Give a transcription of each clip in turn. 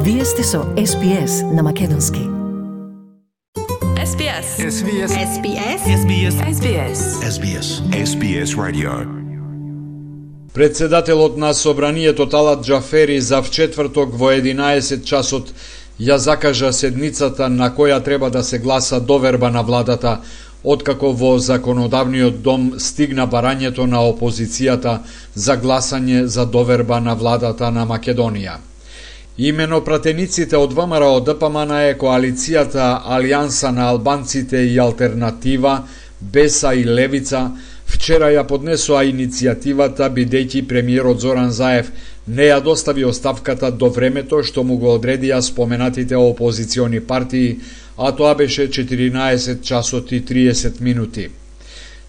Вие сте со SPS на македонски. SBS. SBS. SBS. SBS. SBS. SBS. SBS Radio. Председателот на Собранието Талат Џафери за вчетврток во 11 часот ја закажа седницата на која треба да се гласа доверба на владата, откако во Законодавниот дом стигна барањето на опозицијата за гласање за доверба на владата на Македонија. Имено пратениците од ВМРО ДПМН е коалицијата Алијанса на албанците и Алтернатива, Беса и Левица вчера ја поднесоа иницијативата бидејќи премиерот Зоран Заев не ја достави оставката до времето што му го одредија споменатите опозициони партии, а тоа беше 14 часот и 30 минути.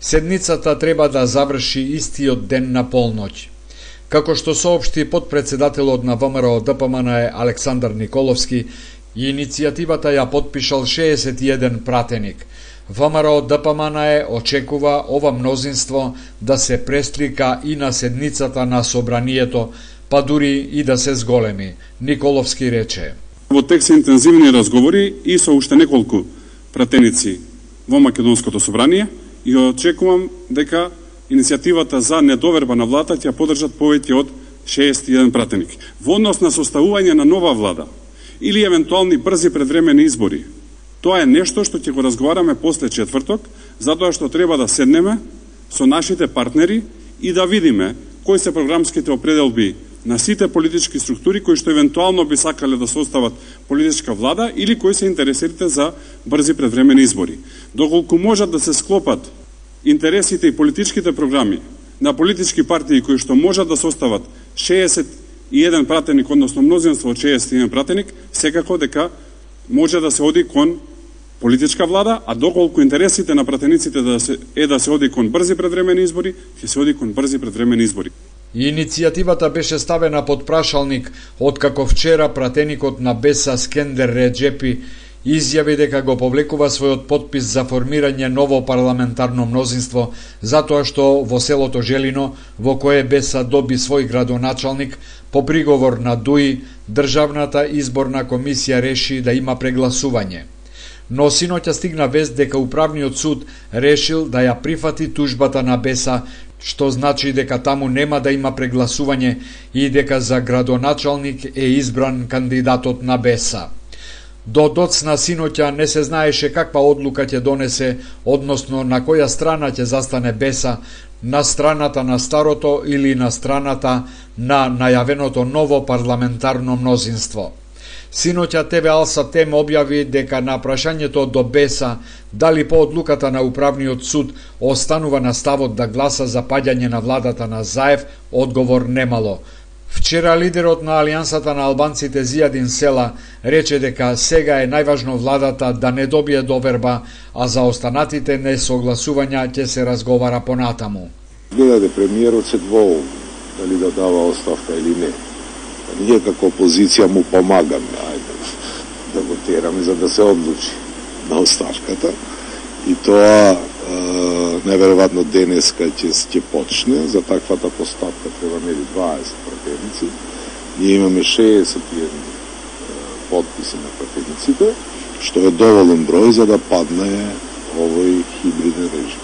Седницата треба да заврши истиот ден на полноќ. Како што соопшти подпредседателот на ВМРО ДПМН Александар Николовски, иницијативата ја подпишал 61 пратеник. ВМРО ДПМН очекува ова мнозинство да се преслика и на седницата на Собранието, па дури и да се зголеми. Николовски рече: Во тек се интензивни разговори и со уште неколку пратеници во Македонското собрание и очекувам дека иницијативата за недоверба на владата ќе поддржат повеќе од 61 пратеник. Во однос на составување на нова влада или евентуални брзи предвремени избори, тоа е нешто што ќе го разговараме после четврток, затоа што треба да седнеме со нашите партнери и да видиме кои се програмските определби на сите политички структури кои што евентуално би сакале да состават политичка влада или кои се интересирате за брзи предвремени избори. Доколку можат да се склопат интересите и политичките програми на политички партии кои што можат да состават 61 пратеник, односно мнозинство од 61 пратеник, секако дека може да се оди кон политичка влада, а доколку интересите на пратениците да се оди кон брзи предвремени избори, ќе се оди кон брзи предвремени избори. Иницијативата беше ставена под прашалник откако вчера пратеникот на Беса Скендер Реджепи изјави дека го повлекува својот подпис за формирање ново парламентарно мнозинство, затоа што во селото Желино, во кое Беса доби свој градоначалник, по приговор на ДУИ, Државната изборна комисија реши да има прегласување. Но синоќа стигна вест дека Управниот суд решил да ја прифати тужбата на Беса, што значи дека таму нема да има прегласување и дека за градоначалник е избран кандидатот на Беса. До доцна синоќа не се знаеше каква одлука ќе донесе, односно на која страна ќе застане Беса, на страната на старото или на страната на најавеното ново парламентарно мнозинство. Синоќа ТВ Алса Тем објави дека на прашањето до Беса дали по одлуката на Управниот суд останува на ставот да гласа за паѓање на владата на Заев, одговор немало. Вчера лидерот на Алијансата на албанците Зијадин Села рече дека сега е најважно владата да не добие доверба, а за останатите несогласувања ќе се разговара понатаму. Гледаде премиерот се двоум дали да дава оставка или не. Ние како опозиција му помагаме, ајде, да го тераме за да се одлучи на оставката. И тоа неверојатно денеска ќе почне. За таквата постапка треба нели 20 пратеници. Ние имаме 61 подписи на пратениците, што е доволен број за да падне овој хибриден режим.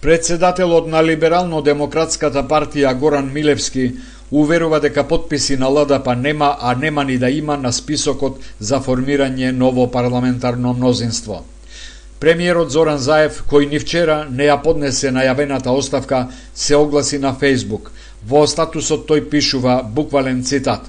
Председателот на Либерално-демократската партија Горан Милевски уверува дека подписи на ЛДП нема, а нема ни да има на списокот за формирање ново парламентарно мнозинство. Премиерот Зоран Заев, кој ни вчера не ја поднесе најавената оставка, се огласи на Фејсбук. Во статусот тој пишува буквален цитат: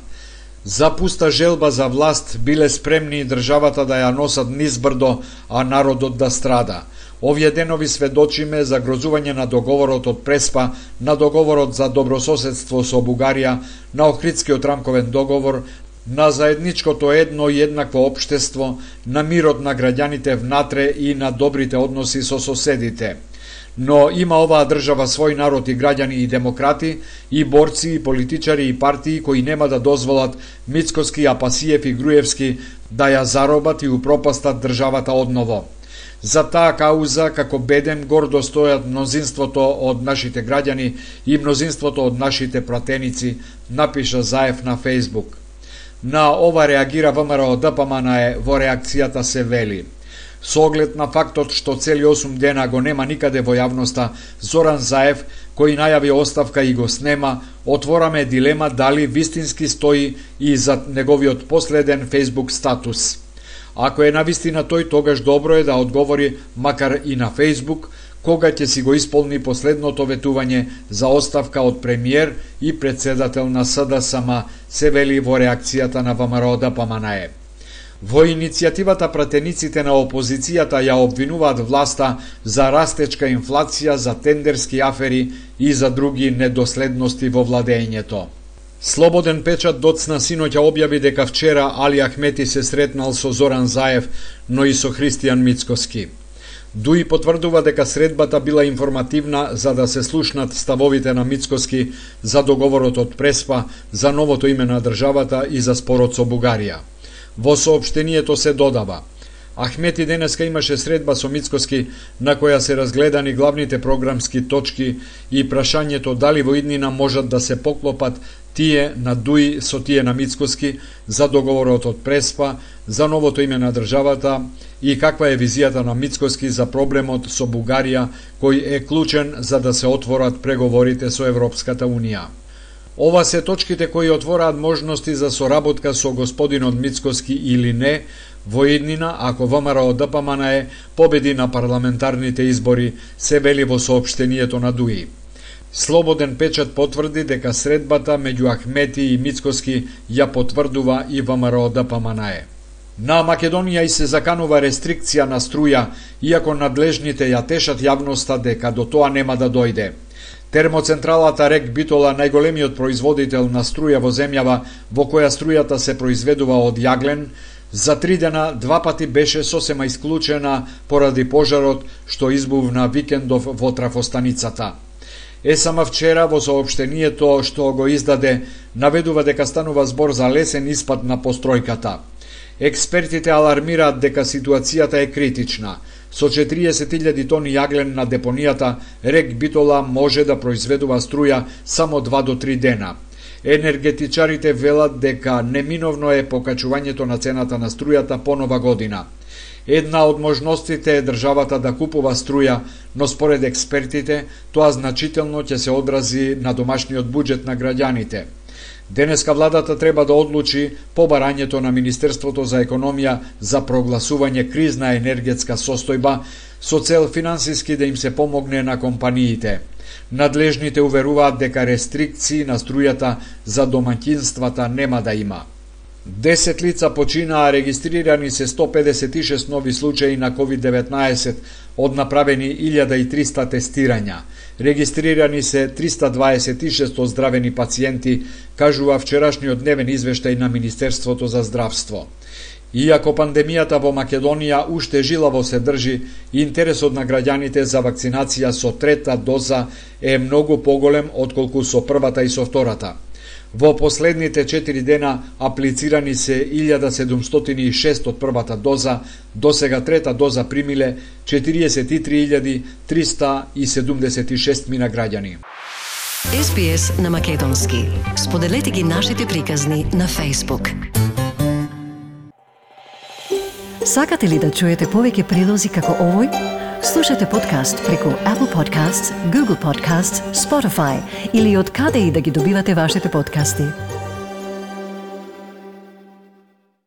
"За пуста желба за власт биле спремни државата да ја носат низ брдо, а народот да страда. Овие денови сведочиме за грозување на договорот од Преспа, на договорот за добрососедство со Бугарија, на Охридскиот рамковен договор, на заедничкото едно и еднакво општество, на мирот на граѓаните внатре и на добрите односи со соседите. Но има оваа држава свој народ и граѓани и демократи, и борци, и политичари, и партии кои нема да дозволат Мицкоски, Апасиев и Груевски да ја заробат и упропастат државата одново. За таа кауза, како беден, гордо стојат мнозинството од нашите граѓани и мнозинството од нашите пратеници, напиша Заев на Фејсбук. На ова реагира ВМРО ДПМНЕ, во реакцијата се вели: со оглед на фактот што цели 8 дена го нема никаде во јавноста Зоран Заев, кој најави оставка и го снема, отвораме дилема дали вистински стои и за неговиот последен Facebook статус. Ако е навистина тој, тогаш добро е да одговори макар и на Facebook, кога ќе си го исполни последното ветување за оставка од премиер и председател на СДСМ, се вели во реакцијата на ВМРО ДПМНЕ. Во иницијативата пратениците на опозицијата ја обвинуваат власта за растечка инфлација, за тендерски афери и за други недоследности во владењето. Слободен печат доцна синоќа објави дека вчера Али Ахмети се сретнал со Зоран Заев, но и со Христијан Мицкоски. ДУИ потврдува дека средбата била информативна за да се слушнат ставовите на Мицкоски за договорот од Преспа, за новото име на државата и за спорот со Бугарија. Во соопштението се додава: Ахмети денеска имаше средба со Мицкоски на која се разгледани главните програмски точки и прашањето дали во иднина можат да се поклопат тие на ДУИ со тие на Мицкоски за договорот од Преспа, за новото име на државата и каква е визијата на Мицкоски за проблемот со Бугарија, кој е клучен за да се отворат преговорите со Европската Унија. Ова се точките кои отвораат можности за соработка со господинот Мицкоски или не во иднина ако ВМРО ДПМНЕ победи на парламентарните избори, се вели во соопштението на ДУИ. Слободен печат потврди дека средбата меѓу Ахмети и Мицкоски ја потврдува и ВМРО ДПМНЕ. На Македонија и се заканува рестрикција на струја, иако надлежните ја тешат јавноста дека до тоа нема да дојде. Термоцентралата РЕК Битола, најголемиот производител на струја во земјава, во која струјата се произведува од јаглен, за 3 дена 2 пати беше сосема исклучена поради пожарот што избувна викендов во трафостаницата. ЕСМ вчера во соопштението што го издаде наведува дека станува збор за лесен испад на постројката. Експертите алармираат дека ситуацијата е критична. Со 40.000 тони јаглен на депонијата, РЕК Битола може да произведува струја само 2 до 3 дена. Енергетичарите велат дека неминовно е покачувањето на цената на струјата по нова година. Една од можностите е државата да купува струја, но според експертите тоа значително ќе се одрази на домашниот буџет на граѓаните. Денеска владата треба да одлучи по барањето на Министерството за економија за прогласување кризна енергетска состојба со цел финансиски да им се помогне на компаниите. Надлежните уверуваат дека рестрикции на струјата за домаќинствата нема да има. 10 лица починаа, регистрирани се 156 нови случаи на COVID-19, од направени 1300 тестирања. Регистрирани се 326 оздравени пациенти, кажува вчерашниот дневен извештај на Министерството за здравство. Иако пандемијата во Македонија уште жилаво се држи, интересот на граѓаните за вакцинација со трета доза е многу поголем отколку со првата и со втората. Во последните 4 дена аплицирани се 1706 од првата доза, досега трета доза примиле 43.376 мина граѓани. SBS на македонски. Споделете ги нашите приказни на Facebook. Сакате ли да чуете повеќе прилози како овој? Слушате подкаст преку Apple Podcasts, Google Podcasts, Spotify или од каде и да ги добивате вашите подкасти.